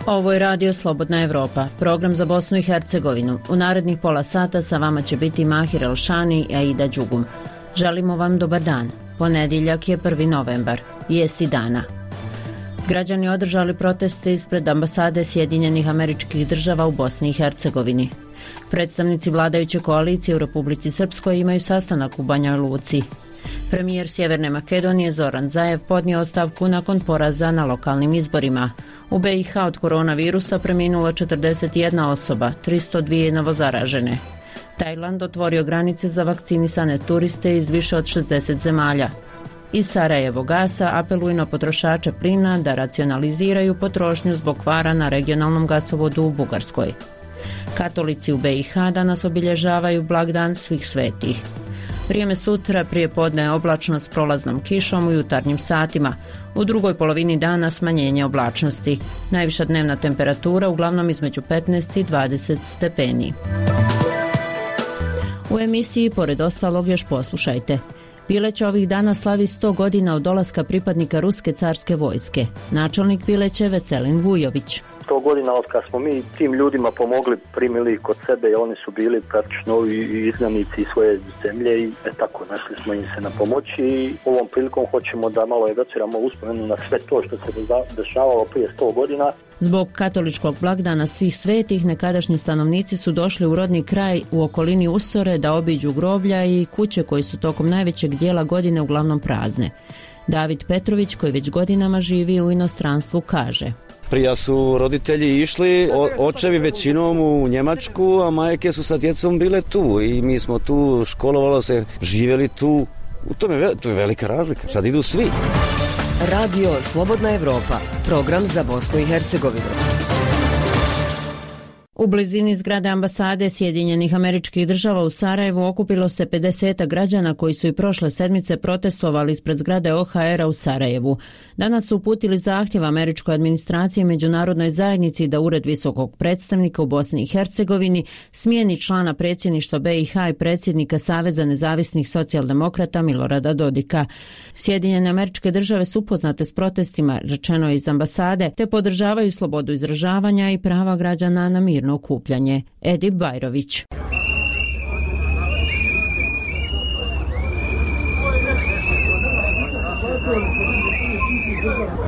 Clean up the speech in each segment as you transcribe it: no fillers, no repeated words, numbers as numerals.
Ovo je Radio Slobodna Evropa, program za Bosnu i Hercegovinu. U narednih pola sata sa vama će biti Mahir Elšani i Aida Đugum. Želimo vam dobar dan. Ponedjeljak je 1. novembar. Vijesti dana. Građani održali proteste ispred ambasade Sjedinjenih Američkih Država u Bosni i Hercegovini. Predstavnici vladajuće koalicije u Republici Srpskoj imaju sastanak u Banja Luci. Premijer Sjeverne Makedonije Zoran Zaev podnio ostavku nakon poraza na lokalnim izborima. U BiH od koronavirusa preminulo 41 osoba, 302 novozaražene. Tajland otvorio granice za vakcinisane turiste iz više od 60 zemalja. Iz Sarajevo gasa apeluju na potrošače plina da racionaliziraju potrošnju zbog kvara na regionalnom gasovodu u Bugarskoj. Katolici u BiH danas obilježavaju blagdan svih svetih. Vrijeme sutra prije podne je oblačno s prolaznom kišom u jutarnjim satima. U drugoj polovini dana smanjenje oblačnosti. Najviša dnevna temperatura uglavnom između 15 i 20 stepeni. U emisiji pored ostalog još poslušajte. Pileća ovih dana slavi 100 godina od dolaska pripadnika Ruske carske vojske. Načelnik Pileće Veselin Vujović. 100 godina od kad smo mi tim ljudima pomogli, primili kod sebe i oni su bili praktično i izgnanici iz svoje zemlje i tako našli smo im se na pomoći i ovom prilikom hoćemo da malo evociramo uspomenu na sve to što se dešavalo prije 100 godina. Zbog katoličkog blagdana svih svetih nekadašnji stanovnici su došli u rodni kraj u okolini Usore da obiđu groblja i kuće koji su tokom najvećeg dijela godine uglavnom prazne. David Petrović, koji već godinama živi u inostranstvu, kaže: Prija su roditelji išli, očevi većinom u Njemačku, a majke su sa djecom bile tu i mi smo tu, školovalo se, živjeli tu. To je velika razlika. Sad idu svi. Radio Slobodna Evropa, program za Bosnu i Hercegovinu. U blizini zgrade ambasade Sjedinjenih Američkih Država u Sarajevu okupilo se 50 građana koji su i prošle sedmice protestovali ispred zgrade OHR-a u Sarajevu. Danas su uputili zahtjev američkoj administraciji i međunarodnoj zajednici da Ured visokog predstavnika u Bosni i Hercegovini smijeni člana predsjedništva BiH i predsjednika Saveza nezavisnih socijaldemokrata Milorada Dodika. Sjedinjene Američke Države su upoznate s protestima, rečeno je iz ambasade, te podržavaju slobodu izražavanja i prava građana na mirno okupljanje. Edip Bajrović.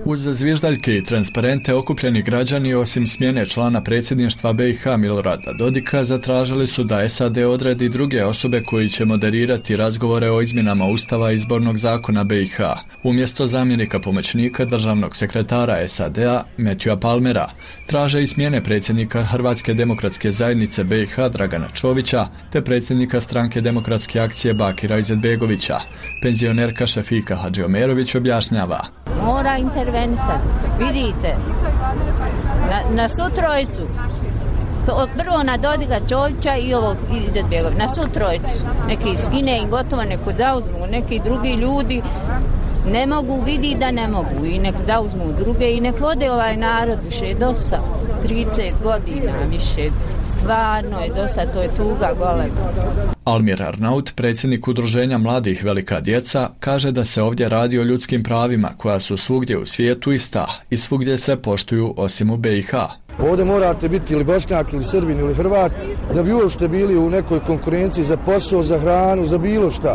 Uz zviždaljke i transparente okupljeni građani osim smjene člana predsjedništva BiH Milorada Dodika zatražili su da SAD odredi druge osobe koji će moderirati razgovore o izmjenama Ustava i izbornog zakona BiH, umjesto zamjenika pomoćnika državnog sekretara SAD-a Matthewa Palmera. Traže i smjene predsjednika Hrvatske demokratske zajednice BiH Dragana Čovića te predsjednika stranke Demokratske akcije Bakira Izetbegovića. Penzionerka Šefika Hadžiomerović objašnjava: Mora intervenisati. Vidite, na svu trojicu, prvo na Dodika, Čovića i ovog Izetbegovića, na svu trojicu. Neki skine i gotovo, neko da uzmu, neki drugi ljudi ne mogu, vidi da ne mogu i nek da uzmu druge i nek vode ovaj narod više dosta. 30 godina više, stvarno je dosta, to je tuga golema. Almir Arnaut, predsjednik udruženja mladih Velika djeca, kaže da se ovdje radi o ljudskim pravima koja su svugdje u svijetu ista i svugdje se poštuju osim u BiH. Ovdje morate biti ili Bošnjak ili Srbin ili Hrvat da bi uopšte bili u nekoj konkurenciji za posao, za hranu, za bilo šta.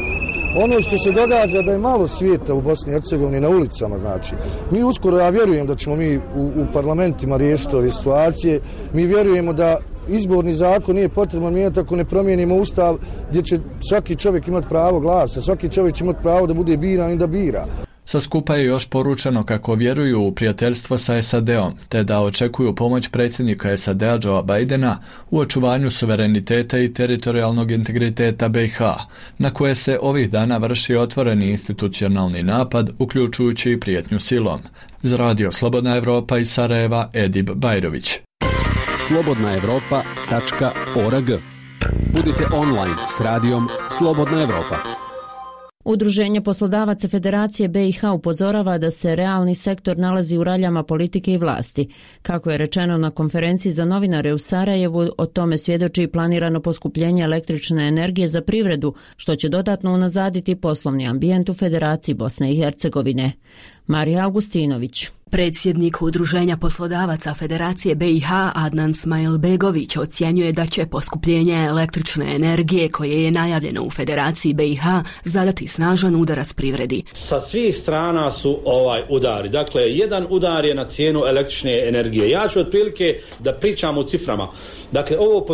Ono što se događa da je malo svijeta u Bosni i Hercegovini na ulicama, znači. Mi uskoro, ja vjerujem da ćemo mi u parlamentima riješiti ove situacije. Mi vjerujemo da izborni zakon nije potrebno mijenjati ako ne promijenimo ustav gdje će svaki čovjek imati pravo glasa, svaki čovjek će imati pravo da bude biran i da bira. Sa skupa je još poručeno kako vjeruju u prijateljstvo sa SAD-om, te da očekuju pomoć predsjednika SAD-a Joea Bidena u očuvanju suvereniteta i teritorijalnog integriteta BiH, na koje se ovih dana vrši otvoreni institucionalni napad, uključujući i prijetnju silom. Za Radio Slobodna Evropa iz Sarajeva, Edip Bajrović. slobodnaevropa.org. Budite online s radijom Slobodna Evropa. Udruženje poslodavaca Federacije BiH upozorava da se realni sektor nalazi u raljama politike i vlasti. Kako je rečeno na konferenciji za novinare u Sarajevu, o tome svjedoči planirano poskupljenje električne energije za privredu, što će dodatno unazaditi poslovni ambijent u Federaciji Bosne i Hercegovine. Marija Augustinović. Predsjednik Udruženja poslodavaca Federacije BiH Adnan Smailbegović ocjenjuje da će poskupljenje električne energije koje je najavljeno u Federaciji BiH zadati snažan udarac privredi. Sa svih strana su udari. Dakle, jedan udar je na cijenu električne energije. Ja ću otprilike da pričam u ciframa. Dakle, ovo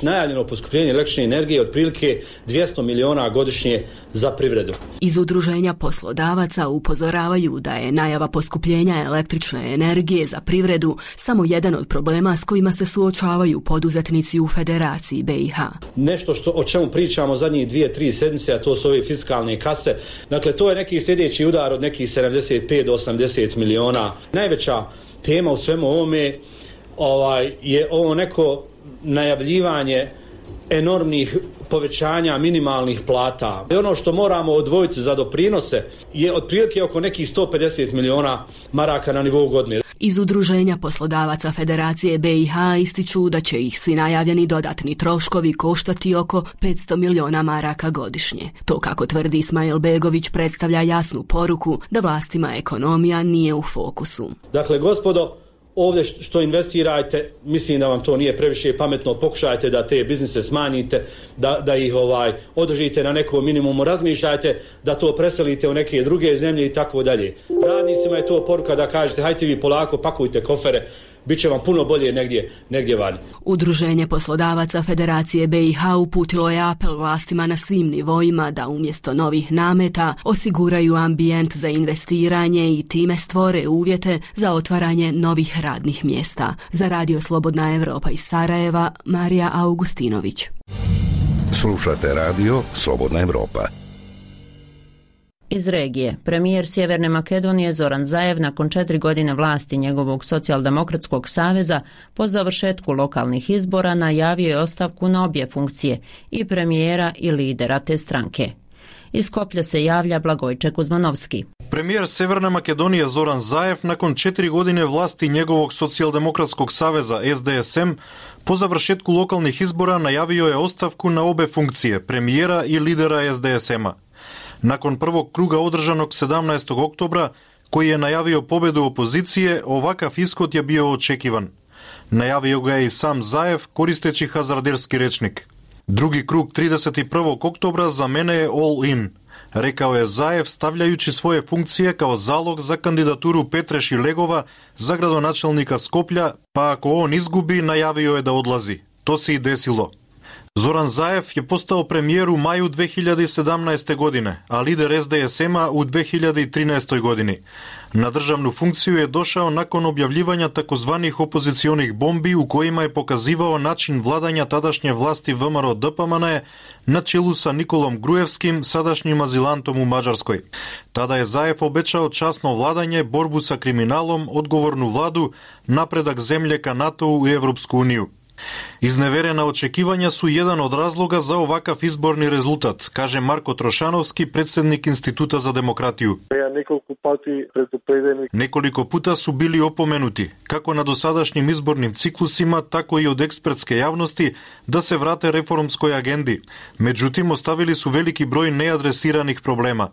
najavljeno poskupljenje električne energije je otprilike 200 miliona godišnje za privredu. Iz Udruženja poslodavaca upozoravaju da je najava poskupljenja električne energije za privredu samo jedan od problema s kojima se suočavaju poduzetnici u Federaciji BiH. Nešto o čemu pričamo zadnjih 2-3 sedmice, a to su ove fiskalne kase. Dakle, to je neki sljedeći udar od nekih 75 do 80 miliona. Najveća tema u svemu ovome je ovo neko najavljivanje enormnih povećanja minimalnih plata. Ono što moramo odvojiti za doprinose je otprilike oko nekih 150 miliona maraka na nivou godine. Iz Udruženja poslodavaca Federacije BiH ističu da će ih svi najavljeni dodatni troškovi koštati oko 500 miliona maraka godišnje. To, kako tvrdi Smailbegović, predstavlja jasnu poruku da vlastima ekonomija nije u fokusu. Dakle, gospodo, ovdje što investirajte, mislim da vam to nije previše pametno, pokušajte da te biznise smanjite, da ih održite na nekom minimumu, razmišljajte da to preselite u neke druge zemlje i tako dalje. Radnicima je to poruka da kažete hajte vi polako, pakujte kofere, bit će vam puno bolje negdje vani. Udruženje poslodavaca Federacije BiH uputilo je apel vlastima na svim nivoima da umjesto novih nameta osiguraju ambijent za investiranje i time stvore uvjete za otvaranje novih radnih mjesta. Za Radio Slobodna Evropa iz Sarajeva, Marija Augustinović. Slušate Radio Slobodna Evropa. Iz regije, premijer Sjeverne Makedonije Zoran Zaev nakon 4 godine vlasti njegovog socijaldemokratskog saveza po završetku lokalnih izbora najavio je ostavku na obje funkcije, i premijera i lidera te stranke. Iz Skoplja se javlja Blagojče Kuzmanovski. Premijer Sjeverne Makedonije Zoran Zaev nakon 4 godine vlasti njegovog socijaldemokratskog saveza SDSM po završetku lokalnih izbora najavio je ostavku na obe funkcije, premijera i lidera SDSM-a. Nakon prvog kruga održanog 17. oktobra, koji je najavio pobjedu opozicije, ovakav ishod je bio očekivan. Najavio ga je i sam Zaev koristeći hazarderski rečnik. Drugi krug 31. oktobra za mene je all in, rekao je Zaev stavljajući svoje funkcije kao zalog za kandidaturu Petre Šilegova za gradonačelnika Skoplja, pa ako on izgubi, najavio je da odlazi. To se i desilo. Zoran Zaev je postao premijer u maju 2017. godine, a lider SDSM-a u 2013. godini. Na državnu funkciju je došao nakon objavljivanja takozvanih opozicionih bombi u kojima je pokazivao način vladanja tadašnje vlasti VMRO DPMNE na čelu sa Nikolom Grujevskim, sadašnjim azilantom u Mađarskoj. Tada je Zaev obećao časno vladanje, borbu sa kriminalom, odgovornu vladu, napredak zemlje ka NATO-u i Evropsku uniju. Izneverena očekivanja su jedan od razloga za ovakav izborni rezultat, kaže Marko Trošanovski, predsjednik Instituta za demokratiju. Nekoliko puta su bili opomenuti, kako na dosadašnjim izbornim ciklusima, tako i od ekspertske javnosti, da se vrate reformskoj agendi. Međutim, ostavili su veliki broj neadresiranih problema.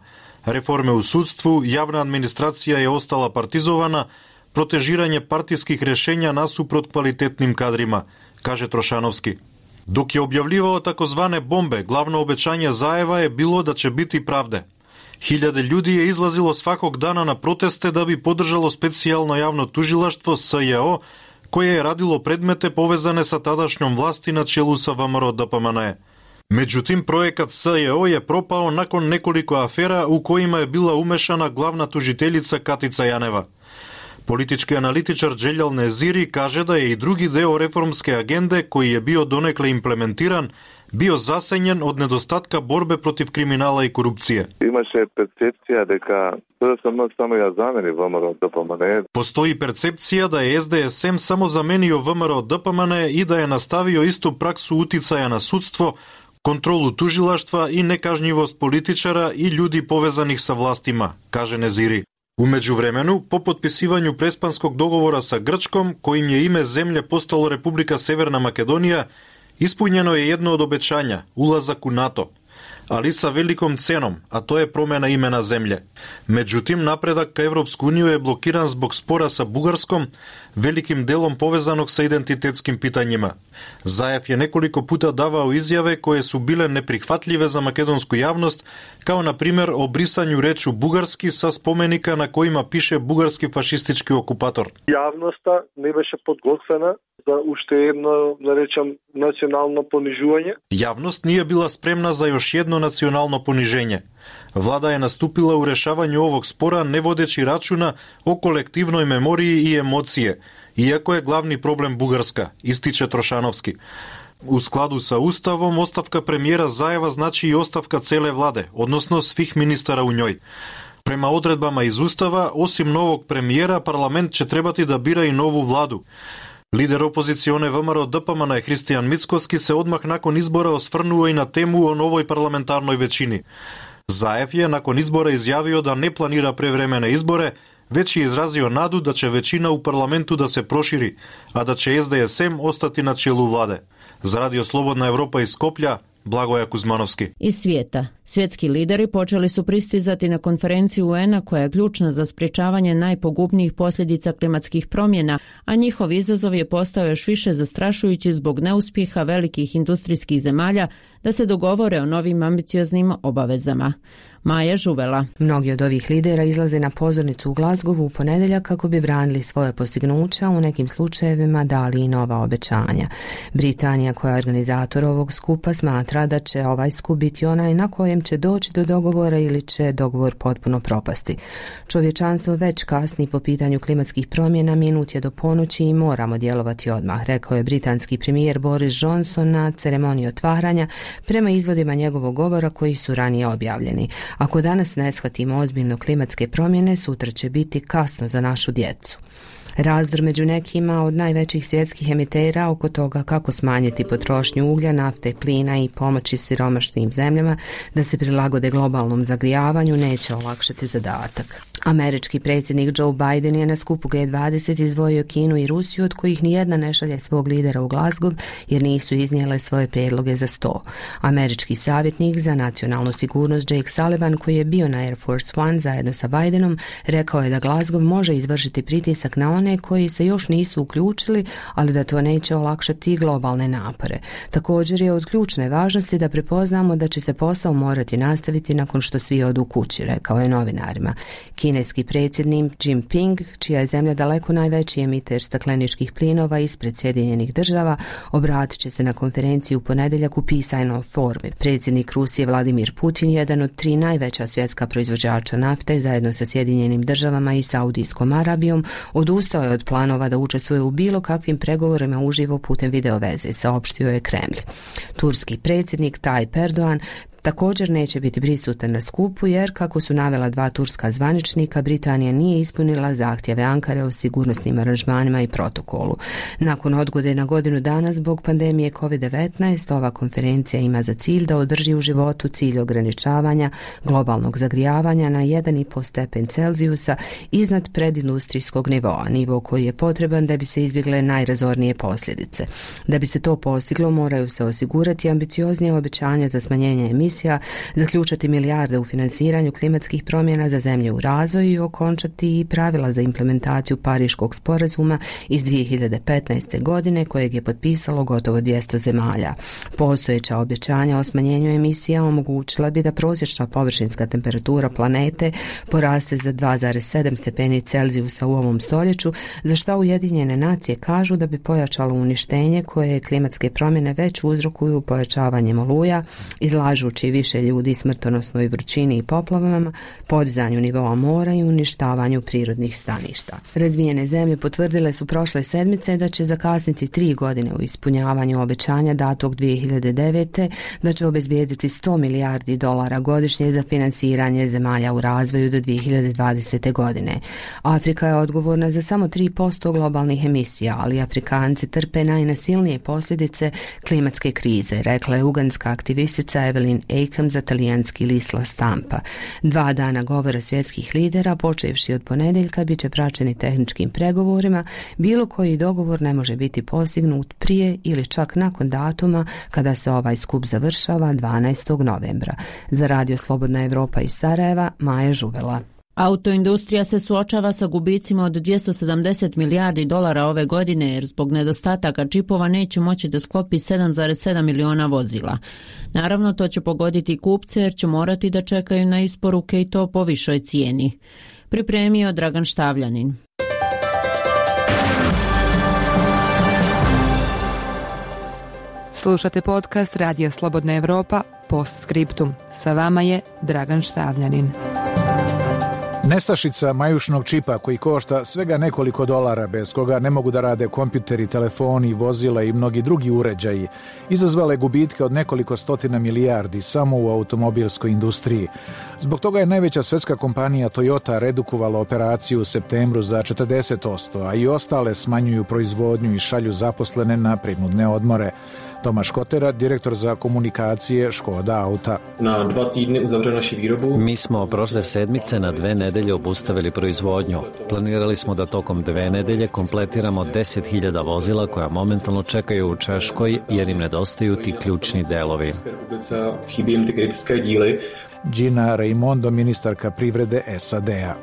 Reforme u sudstvu, javna administracija je ostala partizovana, protežiranje partijskih rješenja nasuprot kvalitetnim kadrima, kaže Trošanovski. Dok je objavljivao takozvane bombe, glavno obećanje Zaeva je bilo da će biti pravde. Hiljade ljudi je izlazilo svakog dana na proteste da bi podržalo specijalno javno tužilaštvo SJO, koje je radilo predmete povezane sa tadašnjom vlasti na čelu sa VMRO DPMNE. Međutim, projekat SJO je propao nakon nekoliko afera u kojima je bila umešana glavna tužiteljica Katica Janeva. Politički analitičar Dželjal Neziri kaže da je i drugi deo reformske agende, koji je bio donekle implementiran, bio zasenjen od nedostatka borbe protiv kriminala i korupcije. Postoji percepcija da je SDSM samo zamenio VMRO DPMNE i da je nastavio istu praksu uticaja na sudstvo, kontrolu tužilaštva i nekažnjivost političara i ljudi povezanih sa vlastima, kaže Neziri. U međuvremenu, po potpisivanju prespanskog dogovora sa Grčkom, kojim je ime zemlje postalo Republika Severna Makedonija, ispunjeno je jedno od obećanja, ulazak u NATO. ali sa velikom cenom, a to je promjena imena zemlje. Međutim, napredak ka Evropsku uniju je blokiran zbog spora sa Bugarskom, velikim delom povezanog sa identitetskim pitanjima. Zaev je nekoliko puta davao izjave koje su bile neprihvatljive za makedonsku javnost, kao na primjer o brisanju reču bugarski sa spomenika na kojima piše bugarski fašistički okupator. Javnosta ne беше подготвена за уште едно, да речем, национално понижување. Javnost nije bila spremna za još jedno nacionalno poniženje. Vlada je nastupila u rešavanju ovog spora ne vodeći računa o kolektivnoj memoriji i emocije, iako je glavni problem Bugarska, ističe Trošanovski. U skladu sa Ustavom, ostavka premijera Zaeva znači i ostavka cele vlade, odnosno svih ministara u njoj. Prema odredbama iz Ustava, osim novog premijera, parlament će trebati da bira i novu vladu. Lider opozicione VMRO DPMN Hristijan Mickoski se odmah nakon izbora osvrnuo i na temu o novoj parlamentarnoj većini. Zaev je nakon izbora izjavio da ne planira prevremene izbore, već je izrazio nadu da će većina u parlamentu da se proširi, a da će SDSM ostati na čelu vlade. Za Radio Slobodna Evropa iz Skoplja, Blagoja Kuzmanovski. Iz svijeta. Svjetski lideri počeli su pristizati na konferenciju UN-a koja je ključna za sprječavanje najpogubnijih posljedica klimatskih promjena, a njihov izazov je postao još više zastrašujući zbog neuspjeha velikih industrijskih zemalja da se dogovore o novim ambicioznim obavezama. Maja Žuvela. Mnogi od ovih lidera izlaze na pozornicu u Glasgowu u ponedjeljak kako bi branili svoje postignuća, u nekim slučajevima dali i nova obećanja. Britanija, koja je organizator ovog skupa, smatra da će ovaj skup biti onaj na kojem će doći do dogovora ili će dogovor potpuno propasti. Čovječanstvo već kasni po pitanju klimatskih promjena, minut je do ponoći i moramo djelovati odmah, rekao je britanski premijer Boris Johnson na ceremoniji otvaranja prema izvodima njegovog govora koji su ranije objavljeni. Ako danas ne shvatimo ozbiljno klimatske promjene, sutra će biti kasno za našu djecu. Razdor među nekima od najvećih svjetskih emitera oko toga kako smanjiti potrošnju uglja, nafte, plina i pomoći siromašnim zemljama da se prilagode globalnom zagrijavanju neće olakšati zadatak. Američki predsjednik Joe Biden je na skupu G20 izdvojio Kinu i Rusiju, od kojih nijedna ne šalje svog lidera u Glasgow jer nisu iznijele svoje prijedloge za sto. Američki savjetnik za nacionalnu sigurnost Jake Sullivan, koji je bio na Air Force One zajedno sa Bidenom, rekao je da Glasgow može izvršiti pritisak na one koji se još nisu uključili, ali da to neće olakšati globalne napore. Također je od ključne važnosti da prepoznamo da će se posao morati nastaviti nakon što svi odu kući, rekao je novinarima. Kineski predsjednik Jinping, čija je zemlja daleko najveći emiter stakleničkih plinova ispred Sjedinjenih država, obratit će se na konferenciji u ponedjeljak u pisanoj formi. Predsjednik Rusije Vladimir Putin, jedan od 3 najveća svjetska proizvođača nafte, zajedno sa Sjedinjenim državama i Saudijskom Arabijom, odustao je od planova da učestvuje u bilo kakvim pregovorima uživo putem videoveze, saopštio je Kremlj. Turski predsjednik Tayyip Erdogan također neće biti prisutan na skupu jer, kako su navela 2 turska zvaničnika, Britanija nije ispunila zahtjeve Ankare o sigurnosnim aranžmanima i protokolu. Nakon odgode na godinu dana zbog pandemije COVID-19, ova konferencija ima za cilj da održi u životu cilj ograničavanja globalnog zagrijavanja na 1,5 stepen Celzijusa iznad predindustrijskog nivoa, nivo koji je potreban da bi se izbjegle najrazornije posljedice. Da bi se to postiglo, moraju se osigurati ambicioznije obećanja za smanjenje emisija, zaključati milijarde u finansiranju klimatskih promjena za zemlje u razvoju i okončati i pravila za implementaciju Pariškog sporazuma iz 2015. godine kojeg je potpisalo gotovo 200 zemalja. Postojeća obećanja o smanjenju emisija omogućila bi da prosječna površinska temperatura planete poraste za 2,7 stepeni Celzijusa u ovom stoljeću, za što Ujedinjene nacije kažu da bi pojačalo uništenje koje klimatske promjene već uzrokuju pojačavanjem oluja, izlažući više ljudi smrtonosnoj vrućini i poplavama, podizanju nivoa mora i uništavanju prirodnih staništa. Razvijene zemlje potvrdile su prošle sedmice da će zakasniti 3 godine u ispunjavanju obećanja datog 2009. da će obezbijediti $100 milijardi godišnje za finansiranje zemalja u razvoju do 2020. godine. Afrika je odgovorna za samo 3% globalnih emisija, ali Afrikanci trpe najnasilnije posljedice klimatske krize, rekla je ugandska aktivistica Evelyn Eikam za talijanski list La Stampa. 2 dana govora svjetskih lidera, počevši od ponedeljka, bit će praćeni tehničkim pregovorima. Bilo koji dogovor ne može biti postignut prije ili čak nakon datuma kada se ovaj skup završava 12. novembra. Za Radio Slobodna Evropa iz Sarajeva, Maja Žuvela. Autoindustrija se suočava sa gubicima od 270 milijardi dolara ove godine jer zbog nedostataka čipova neće moći da sklopi 7,7 miliona vozila. Naravno, to će pogoditi kupce jer će morati da čekaju na isporuke i to po višoj cijeni. Pripremio Dragan Štavljanin. Slušate podcast Radija Slobodna Evropa Postscriptum. Sa vama je Dragan Štavljanin. Nestašica majušnog čipa koji košta svega nekoliko dolara, bez koga ne mogu da rade kompjuteri, telefoni, vozila i mnogi drugi uređaji, izazvale gubitke od nekoliko stotina milijardi samo u automobilskoj industriji. Zbog toga je najveća svjetska kompanija Toyota redukovala operaciju u septembru za 40%, a i ostale smanjuju proizvodnju i šalju zaposlene na prinudne odmore. Tomaš Kotera, direktor za komunikacije Škoda Auta. Mi smo prošle sedmice na 2 nedelje obustavili proizvodnju. Planirali smo da tokom 2 nedelje kompletiramo 10.000 vozila koja momentalno čekaju u Češkoj jer im nedostaju ti ključni delovi. Gina Raimondo, ministarka privrede SAD-a.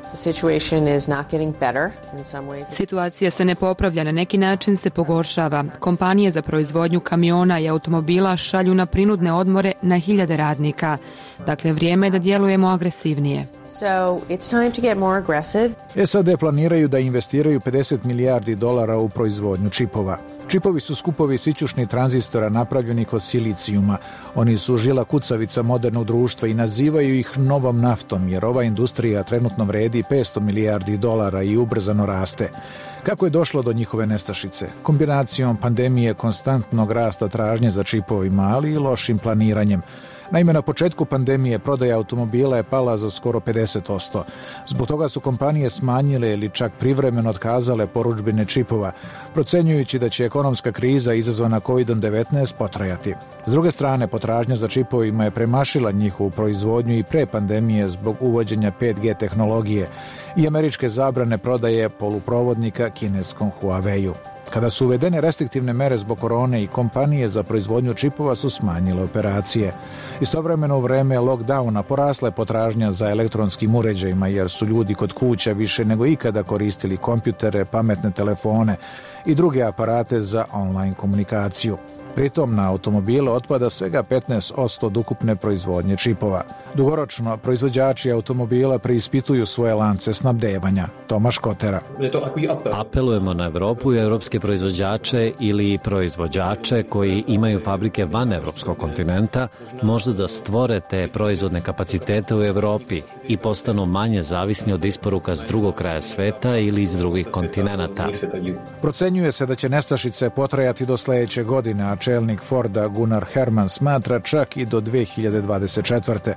Situacija se ne popravlja, na neki način se pogoršava. Kompanije za proizvodnju kamiona i automobila šalju na prinudne odmore na 1000 radnika. Dakle, vrijeme je da djelujemo agresivnije. SAD planiraju da investiraju 50 milijardi dolara u proizvodnju čipova. Čipovi su skupovi sićušnih tranzistora napravljenih od silicijuma. Oni su žila kucavica modernog društva i nazivaju ih novom naftom, jer ova industrija trenutno vredi 500 milijardi dolara i ubrzano raste. Kako je došlo do njihove nestašice? Kombinacijom pandemije, konstantnog rasta tražnje za čipovima, ali i lošim planiranjem. Naime, na početku pandemije prodaja automobila je pala za skoro 50%. Zbog toga su kompanije smanjile ili čak privremeno otkazale porudžbine čipova, procenjujući da će ekonomska kriza izazvana COVID-19 potrajati. S druge strane, potražnja za čipovima je premašila njihovu proizvodnju i pre pandemije zbog uvođenja 5G tehnologije i američke zabrane prodaje poluprovodnika kineskom Huawei-u. Kada su uvedene restriktivne mere zbog korone i kompanije za proizvodnju čipova su smanjile operacije. Istovremeno u vreme lockdowna porasla je potražnja za elektronskim uređajima jer su ljudi kod kuća više nego ikada koristili kompjutere, pametne telefone i druge aparate za online komunikaciju. Pritom na automobile otpada svega 15% od ukupne proizvodnje čipova. Dugoročno, proizvođači automobila preispituju svoje lance snabdevanja. Tomaš Kotera. Apelujemo na Evropu i evropske proizvođače ili proizvođače koji imaju fabrike van evropskog kontinenta, možda da stvore te proizvodne kapacitete u Evropi i postanu manje zavisni od isporuka s drugog kraja sveta ili iz drugih kontinenata. Procenjuje se da će nestašice potrajati do sledeće godine, a čelnik Forda Gunnar Herman smatra čak i do 2024.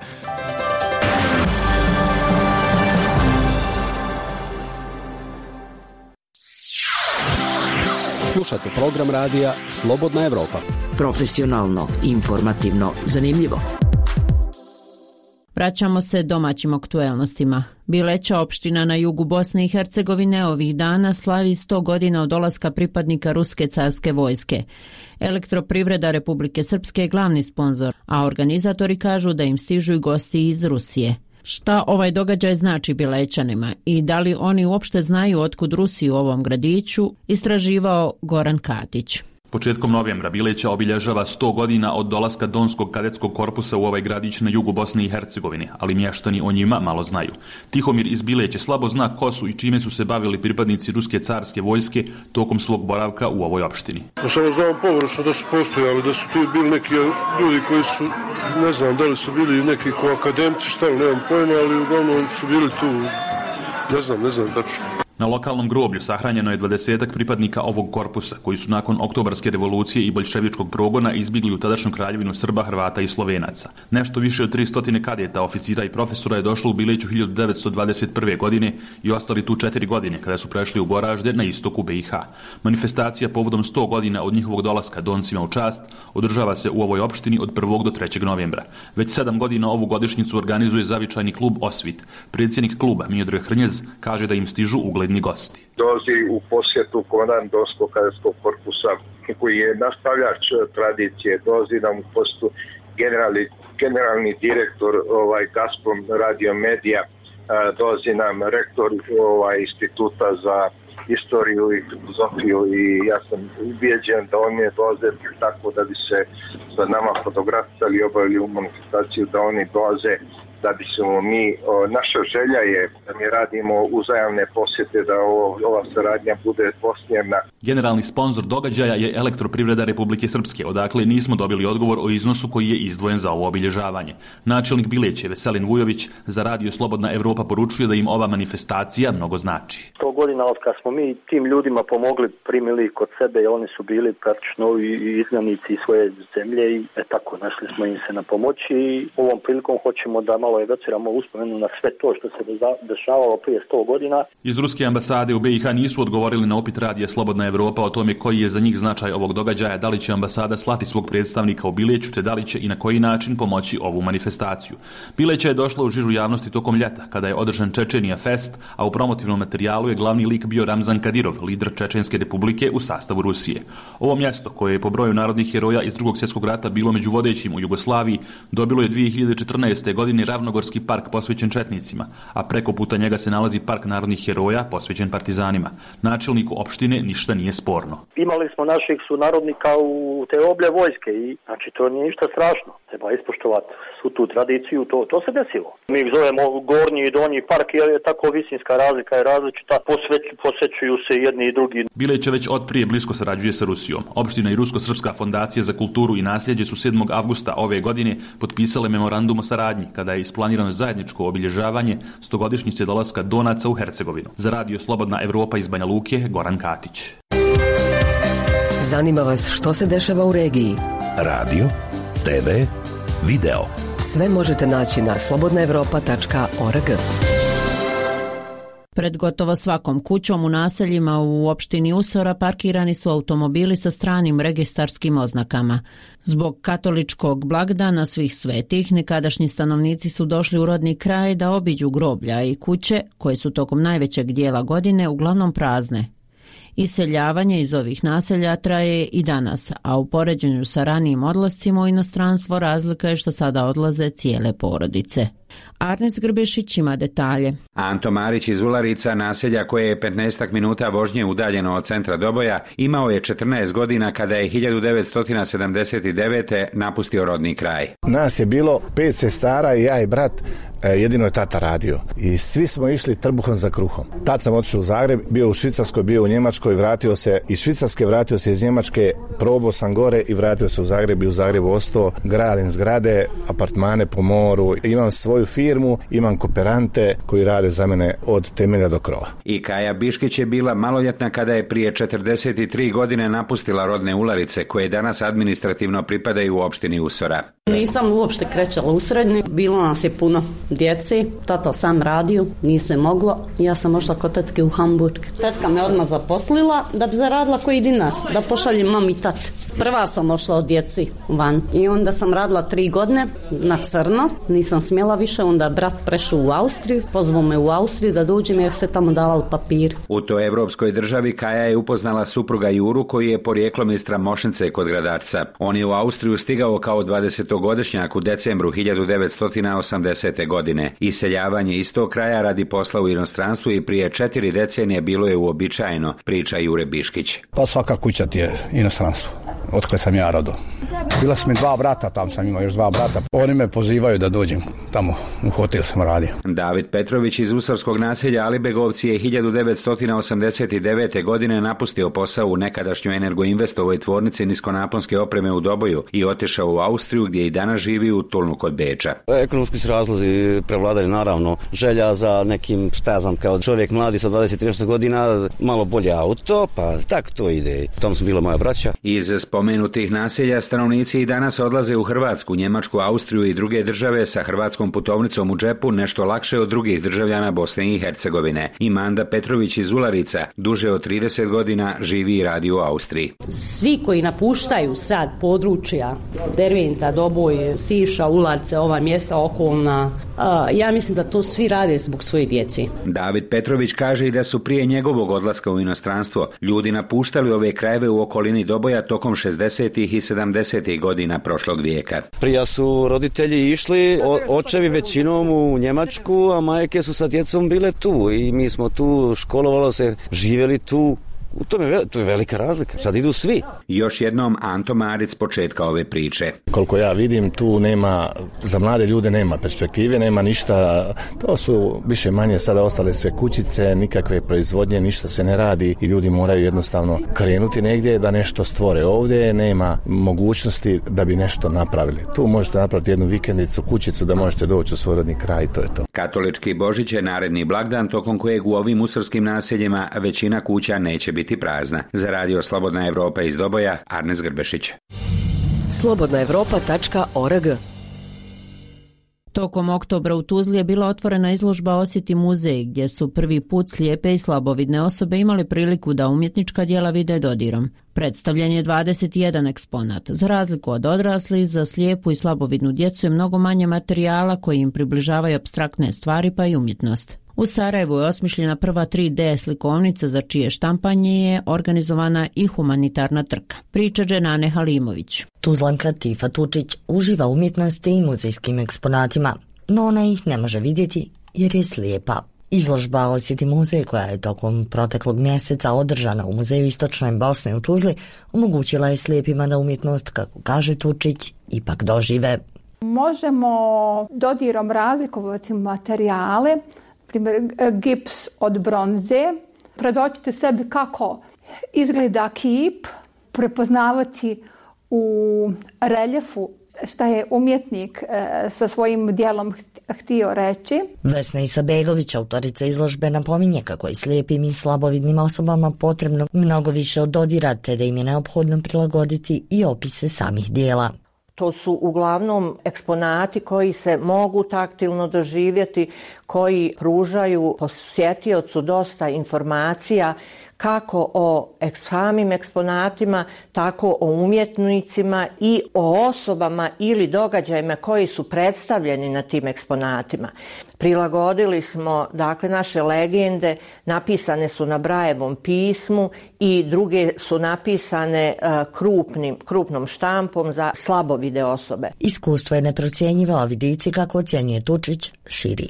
Slušate program radija Slobodna Evropa. Profesionalno, informativno, zanimljivo. Vraćamo se domaćim aktuelnostima. Bileća, opština na jugu Bosne i Hercegovine, ovih dana slavi 100 godina od dolaska pripadnika Ruske carske vojske. Elektroprivreda Republike Srpske je glavni sponzor, a organizatori kažu da im stižu i gosti iz Rusije. Šta ovaj događaj znači Bilećanima i da li oni uopšte znaju otkud Rusi u ovom gradiću, istraživao Goran Katić. Početkom novembra Bileća obilježava 100 godina od dolaska Donskog kadetskog korpusa u ovaj gradić na jugu Bosne i Hercegovine, ali mještani o njima malo znaju. Tihomir iz Bileće slabo zna ko su i čime su se bavili pripadnici Ruske carske vojske tokom svog boravka u ovoj opštini. Samo znam površno da su postojali, da su tu bili neki ljudi koji su, ne znam da li su bili neki ko akademci, šta li, nemam pojma, ali uglavnom su bili tu, ne znam tačno. Na lokalnom groblju sahranjeno je 20 pripadnika ovog korpusa, koji su nakon oktobarske revolucije i boljševičkog progona izbjegli u tadašnju kraljevinu Srba, Hrvata i Slovenaca. Nešto više od 300 kadeta, oficira i profesora je došlo u Bileću 1921. godine i ostali tu 4 godine kada su prešli u Goražde na istoku BiH. Manifestacija povodom 100 godina od njihovog dolaska Doncima u čast održava se u ovoj opštini od 1. do 3. novembra. Već 7 godina ovu godišnjicu organizuje zavičajni klub Osvit. Predsjednik kluba Miodrag Hrnjez kaže da im stižu ugledni gosti. Dolazi u posjetu komandant Donskog kadetskog korpusa koji je nastavljač tradicije, dolazi nam u posjetu generalni direktor Gazprom Radio Media, dolazi nam rektor instituta za istoriju i filozofiju i ja sam ubijeđen da oni dolaze tako da bi se sa nama fotografisali i obavili u manifestaciju, da oni dolaze da bi se naša želja je da mi radimo uzajamne posjete, da ova saradnja bude dvosmjerna. Generalni sponzor događaja je Elektroprivreda Republike Srpske, odakle nismo dobili odgovor o iznosu koji je izdvojen za ovo obilježavanje. Načelnik Bileće Veselin Vujović za Radio Slobodna Evropa poručuje da im ova manifestacija mnogo znači. 100 godina od kad smo mi tim ljudima pomogli, primili kod sebe i oni su bili praktično i izgnanici svoje zemlje i tako našli smo im se na pomoći i ovom prilikom hoćemo da malo evociramo uspomenu na sve to što se dešavalo prije 100 godina. Iz Ruske ambasade u BiH nisu odgovorili na upit Radija Slobodna Evropa o tome koji je za njih značaj ovog događaja, da li će ambasada slati svog predstavnika u Bileću, te da li će i na koji način pomoći ovu manifestaciju. Bileća je došla u žižu javnosti tokom ljeta, kada je održan Čečenija Fest, a u promotivnom materijalu je glavni lik bio Ramzan Kadirov, lider Čečenske republike u sastavu Rusije. Ovo mjesto, koje je po broju narodnih heroja iz Drugog svjetskog rata bilo među vodećim u Jugoslaviji, dobilo je 2014. godine Ravnogorski park posvećen četnicima, a preko puta njega se nalazi park narodnih heroja posvećen partizanima. Načelniku opštine ništa nije sporno. Imali smo naših sunarodnika u te oblje vojske i znači to nije ništa strašno. Treba ispoštovati svu tu tradiciju, to se desilo. Mi ih zovemo gornji i donji park jer je tako visinska razlika je različita, posvećuju se jedni i drugi. Bileća već od prije blisko sarađuje sa Rusijom. Opština i Rusko-srpska fondacija za kulturu i nasljeđe su 7. avgusta ove godine potpisale memorandum o saradnji kada je isplanirano zajedničko obilježavanje 100-godišnjice dolaska Donaca u Hercegovinu. Za Radio Slobodna Evropa iz Banja Luke, Goran Katić. Zanima vas što se dešava u regiji? Radio, TV, video. Sve možete naći na slobodnaevropa.org. Pred gotovo svakom kućom u naseljima u opštini Usora parkirani su automobili sa stranim registarskim oznakama. Zbog katoličkog blagdana svih svetih, nekadašnji stanovnici su došli u rodni kraj da obiđu groblja i kuće, koje su tokom najvećeg dijela godine uglavnom prazne. Iseljavanje iz ovih naselja traje i danas, a u poređenju sa ranijim odlascima u inostranstvo razlika je što sada odlaze cijele porodice. Arnes Grbešić ima detalje. Anto Marić iz Ularica, naselja koje je 15 minuta vožnje udaljeno od centra Doboja, imao je 14 godina kada je 1979. napustio rodni kraj. Nas je bilo 5 sestara i ja i brat, jedino je tata radio. I svi smo išli trbuhom za kruhom. Tad sam otišao u Zagreb, bio u Švicarskoj, bio u Njemačkoj, vratio se iz Švicarske, vratio se iz Njemačke, probao sam gore i vratio se u Zagreb i u Zagrebu ostao. Gradim zgrade, apartmane po moru, imam svoju firmu, imam kooperante koji rade za mene od temelja do krova. I Kaja Biškić je bila maloljetna kada je prije 43 godine napustila rodne Ularice, koje danas administrativno pripadaju u opštini Usora. Nisam uopšte krećala u srednju, bilo nas je puno djeci, tata sam radio, nije se moglo, ja sam ošla kod tetke u Hamburg. Tetka me odmah zaposlila da bi zaradila koji dinar, da pošaljem mami i tati. Prva sam ošla od djeci van i onda sam radila 3 godine na crno, nisam smjela više, onda brat prešao u Austriju, pozvao me u Austriju da dođem jer se tamo davali papir. U toj evropskoj državi Kaja je upoznala supruga Juru koji je porijeklom iz Tramošnice kod Gradarca. On je u Austriju stigao kao 20-godišnjak u decembru 1980. godine. Iseljavanje iz tog kraja radi posla u inostranstvu i prije 4 decenije bilo je uobičajeno, priča Jure Biškić. Pa svaka kuća ti je inostranstvo. Otkle sam ja rodo. Bila su mi 2 brata, tam sam imao još 2 brata. Oni me pozivaju da dođem tamo, u hotel sam radio. David Petrović iz Usarskog naselja Alibegovci je 1989. godine napustio posao u nekadašnjoj Energoinvestovoj tvornici niskonaponske opreme u Doboju i otišao u Austriju gdje i danas živi u Tulnu kod Beča. Ekonomski su razlozi prevladali, naravno želja za nekim, kao čovjek mladi sa 20-30 godina, malo bolje auto, pa tako to ide. Tom su bila moja braća. Iz spomenutih naselja stanovnici i danas odlaze u Hrvatsku, Njemačku, Austriju i druge države sa hrvatskom putovnicom u džepu nešto lakše od drugih državljana Bosne i Hercegovine. I Manda Petrović iz Ularica duže od 30 godina živi i radi u Austriji. Svi koji napuštaju sad područja Derventa, Doboj, Siša, Ularce, ova mjesta okolna, ja mislim da to svi rade zbog svoje djeci. David Petrović kaže i da su prije njegovog odlaska u inostranstvo ljudi napuštali ove krajeve u okolini Doboja tokom 60. i 70. godina prošlog vijeka. Prija su roditelji išli, očevi većinom u Njemačku, a majke su sa djecom bile tu i mi smo tu, školovalo se, živjeli tu. To je velika razlika. Sad idu svi. Još jednom Anto Maric početka ove priče. Koliko ja vidim, tu nema, za mlade ljude nema perspektive, nema ništa. To su više manje sada ostale sve kućice, nikakve proizvodnje, ništa se ne radi i ljudi moraju jednostavno krenuti negdje da nešto stvore. Ovdje nema mogućnosti da bi nešto napravili. Tu možete napraviti jednu vikendicu, kućicu da možete doći u svoj rodni kraj i to je to. Katolički Božić je naredni blagdan tokom kojeg u ovim usarskim naseljima većina kuća neće biti prazna. Za radio Slobodna Evropa iz Doboja, Arnes Grbešić. slobodnaevropa.org. Tokom oktobra u Tuzli je bila otvorena izložba Osjeti muzej, gdje su prvi put slijepe i slabovidne osobe imali priliku da umjetnička djela vide dodirom. Predstavljen je 21 eksponat. Za razliku od odraslih, za slijepu i slabovidnu djecu je mnogo manje materijala koji im približavaju apstraktne stvari pa i umjetnost. U Sarajevu je osmišljena prva 3D slikovnica za čije štampanje je organizovana i humanitarna trka. Priča Dženane Halimović. Tuzlanka Tifa Tučić uživa umjetnosti i muzejskim eksponatima, no ona ih ne može vidjeti jer je slijepa. Izložba Osjeti muzej, koja je tokom proteklog mjeseca održana u Muzeju Istočne Bosne u Tuzli, omogućila je slijepima da umjetnost, kako kaže Tučić, ipak dožive. Možemo dodirom razlikovati materijale, primjer gips od bronze, predočiti sebi kako izgleda kip, prepoznavati u reljefu šta je umjetnik sa svojim djelom htio reći. Vesna Isabegović, autorica izložbe, napominje kako je slijepim i slabovidnim osobama potrebno mnogo više od dodira, te da im je neophodno prilagoditi i opise samih dijela. To su uglavnom eksponati koji se mogu taktilno doživjeti, koji pružaju posjetiocu dosta informacija kako o samim eksponatima, tako o umjetnicima i o osobama ili događajima koji su predstavljeni na tim eksponatima. Prilagodili smo, dakle, naše legende, napisane su na Brajevom pismu i druge su napisane krupnom štampom za slabovide osobe. Iskustvo je neprocjenjivo, a vidici, kako ocjenjuje Tučić, širi.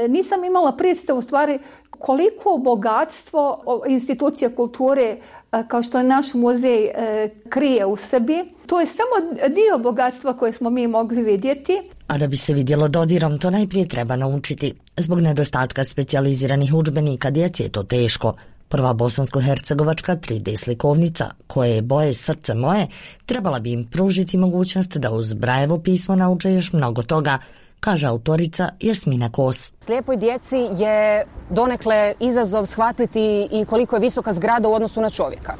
Nisam imala predstavu u stvari koliko bogatstvo institucija kulture kao što je naš muzej krije u sebi. To je samo dio bogatstva koje smo mi mogli vidjeti. A da bi se vidjelo dodirom, to najprije treba naučiti. Zbog nedostatka specijaliziranih udžbenika djeci je to teško. Prva bosansko-hercegovačka 3D slikovnica, koje je boje Srce moje, trebala bi im pružiti mogućnost da uz Brajevo pismo nauče još mnogo toga, kaže autorica Jasmina Kos. Slijepoj djeci je donekle izazov shvatiti i koliko je visoka zgrada u odnosu na čovjeka.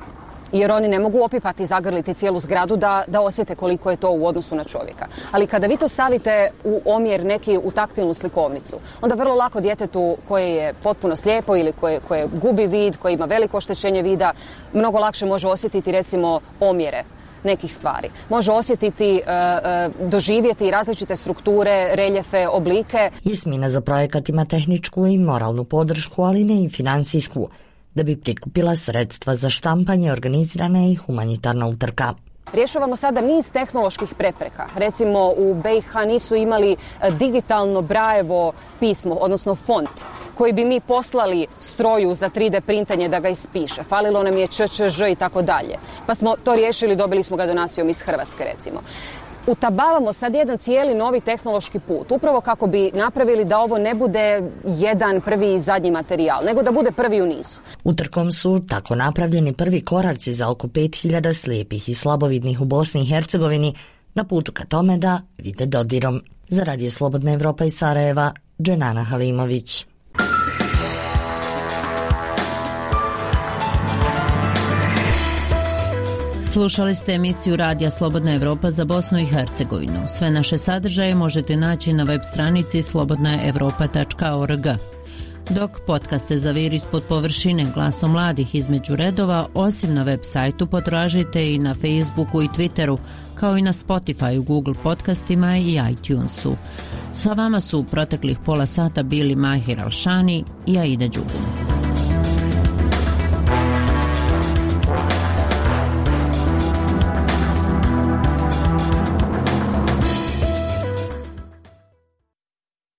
Jer oni ne mogu opipati i zagrliti cijelu zgradu da osjete koliko je to u odnosu na čovjeka. Ali kada vi to stavite u omjer neki u taktilnu slikovnicu, onda vrlo lako djetetu koje je potpuno slijepo ili koje gubi vid, koje ima veliko oštećenje vida, mnogo lakše može osjetiti recimo omjere nekih stvari. Može osjetiti, doživjeti različite strukture, reljefe, oblike. Jasmina za projekat ima tehničku i moralnu podršku, ali ne i financijsku. Da bi prikupila sredstva za štampanje, organizirana je i humanitarna utrka. Rješavamo sada niz tehnoloških prepreka. Recimo u BiH nisu imali digitalno Brajevo pismo, odnosno font, koji bi mi poslali stroju za 3D printanje da ga ispiše. Falilo nam je ČČŽ i tako dalje. Pa smo to riješili, dobili smo ga donacijom iz Hrvatske recimo. utabavamo sad jedan cijeli novi tehnološki put, upravo kako bi napravili da ovo ne bude jedan prvi i zadnji materijal, nego da bude prvi u nizu. Utrkom su tako napravljeni prvi koraci za oko 5000 slijepih i slabovidnih u Bosni i Hercegovini na putu ka tome da vide dodirom. Za Radio Slobodna Evropa iz Sarajeva, Dženana Halimović. Slušali ste emisiju Radija Slobodna Evropa za Bosnu i Hercegovinu. Sve naše sadržaje možete naći na web stranici slobodnaevropa.org. Dok podcaste Zavir ispod površine, Glasom mladih između redova, osim na web sajtu potražite i na Facebooku i Twitteru, kao i na Spotify, Google podcastima i iTunesu. Sa vama su u proteklih pola sata bili Mahir Alšani i Aida Đugum.